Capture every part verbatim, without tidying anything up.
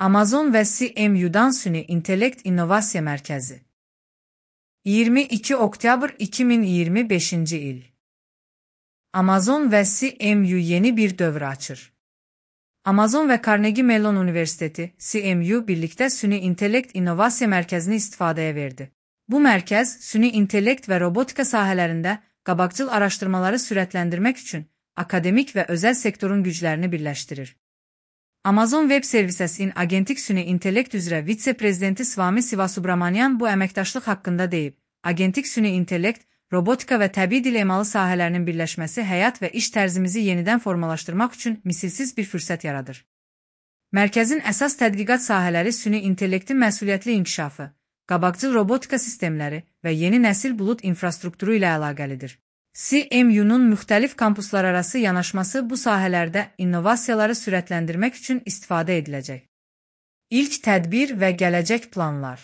Amazon və C M U-dan Süni İntellekt İnnovasiya Mərkəzi. iyirmi iki oktyabr iki min iyirmi beşinci il. Amazon və C M U yeni bir dövr açır. Amazon və Carnegie Mellon Universiteti, C M U birlikdə Süni İntellekt İnnovasiya Mərkəzini istifadəyə verdi. Bu mərkəz, süni intellekt və robotika sahələrində qabaqcıl araşdırmaları sürətləndirmək üçün akademik və özəl sektorun güclərini birləşdirir. Amazon Web Services'in Agentik Süni İntellekt üzrə vitse-prezidenti Swami Sivasubramanian bu əməkdaşlıq haqqında deyib. Agentik Süni İntellekt, robotika və təbii dil emalı sahələrinin birləşməsi həyat və iş tərzimizi yenidən formalaşdırmaq üçün misilsiz bir fürsət yaradır. Mərkəzin əsas tədqiqat sahələri süni intellektin məsuliyyətli inkişafı, qabaqcıl robotika sistemləri və yeni nəsil bulut infrastrukturu ilə əlaqəlidir. C M U-nun müxtəlif kampuslararası yanaşması bu sahələrdə innovasiyaları sürətləndirmək üçün istifadə ediləcək. İlk tədbir və gələcək planlar.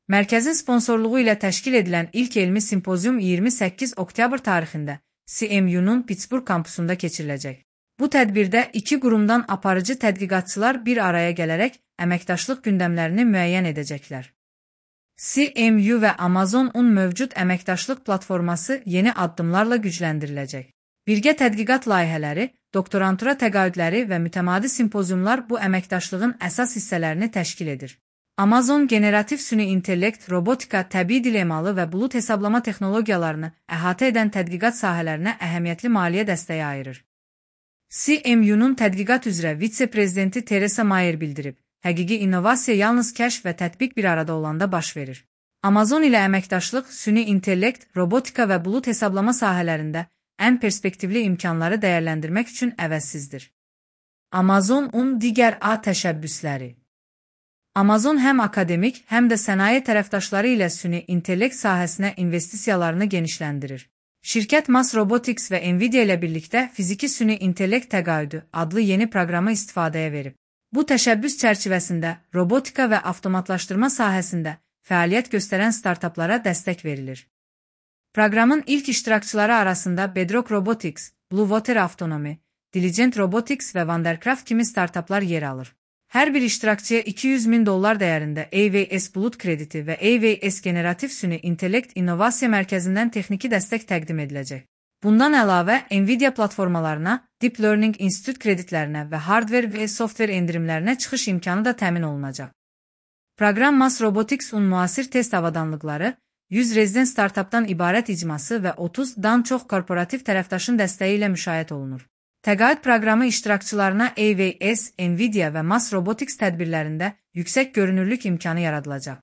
Mərkəzin sponsorluğu ilə təşkil edilən ilk elmi simpozium iyirmi səkkiz oktyabr tarixində C M U-nun Pittsburgh kampusunda keçiriləcək. Bu tədbirdə iki qurumdan aparıcı tədqiqatçılar bir araya gələrək əməkdaşlıq gündəmlərini müəyyən edəcəklər. C M U və Amazon-un mövcud əməkdaşlıq platforması yeni addımlarla gücləndiriləcək. Birgə tədqiqat layihələri, doktorantura təqaüdləri və mütəmadi simpoziumlar bu əməkdaşlığın əsas hissələrini təşkil edir. Amazon generativ süni intellekt, robotika, təbii dil emalı və bulut hesablama texnologiyalarını əhatə edən tədqiqat sahələrinə əhəmiyyətli maliyyə dəstəyi ayırır. C M U-nun tədqiqat üzrə vitse-prezidenti Teresa Mayer bildirib. Həqiqi innovasiya yalnız kəşf və tətbiq bir arada olanda baş verir. Amazon ilə əməkdaşlıq, süni intellekt, robotika və bulut hesablama sahələrində ən perspektivli imkanları dəyərləndirmək üçün əvəzsizdir. Amazon-un digər A təşəbbüsləri. Amazon həm akademik, həm də sənaye tərəfdaşları ilə süni intellekt sahəsinə investisiyalarını genişləndirir. Şirkət Mass Robotics və Nvidia ilə birlikdə fiziki süni intellekt təqaüdü adlı yeni proqramı istifadəyə verib. Bu təşəbbüs çərçivəsində robotika və avtomatlaşdırma sahəsində fəaliyyət göstərən startaplara dəstək verilir. Proqramın ilk iştirakçıları arasında Bedrock Robotics, Blue Water Autonomy, Diligent Robotics və Vandercraft kimi startaplar yer alır. Hər bir iştirakçıya iki yüz min dollar dəyərində A V S bulut krediti və A V S generativ süni intellekt innovasiya mərkəzindən texniki dəstək təqdim ediləcək. Bundan əlavə, Nvidia platformalarına, Deep Learning Institute kreditlərinə və hardware və software endirimlərinə çıxış imkanı da təmin olunacaq. Proqram Mass Robotics-un müasir test avadanlıqları, yüz rezident startapdan ibarət icması və otuzdan çox korporativ tərəfdaşın dəstəyi ilə müşahidə olunur. Təqaüd proqramı iştirakçılarına A V S, Nvidia və Mass Robotics tədbirlərində yüksək görünürlük imkanı yaradılacaq.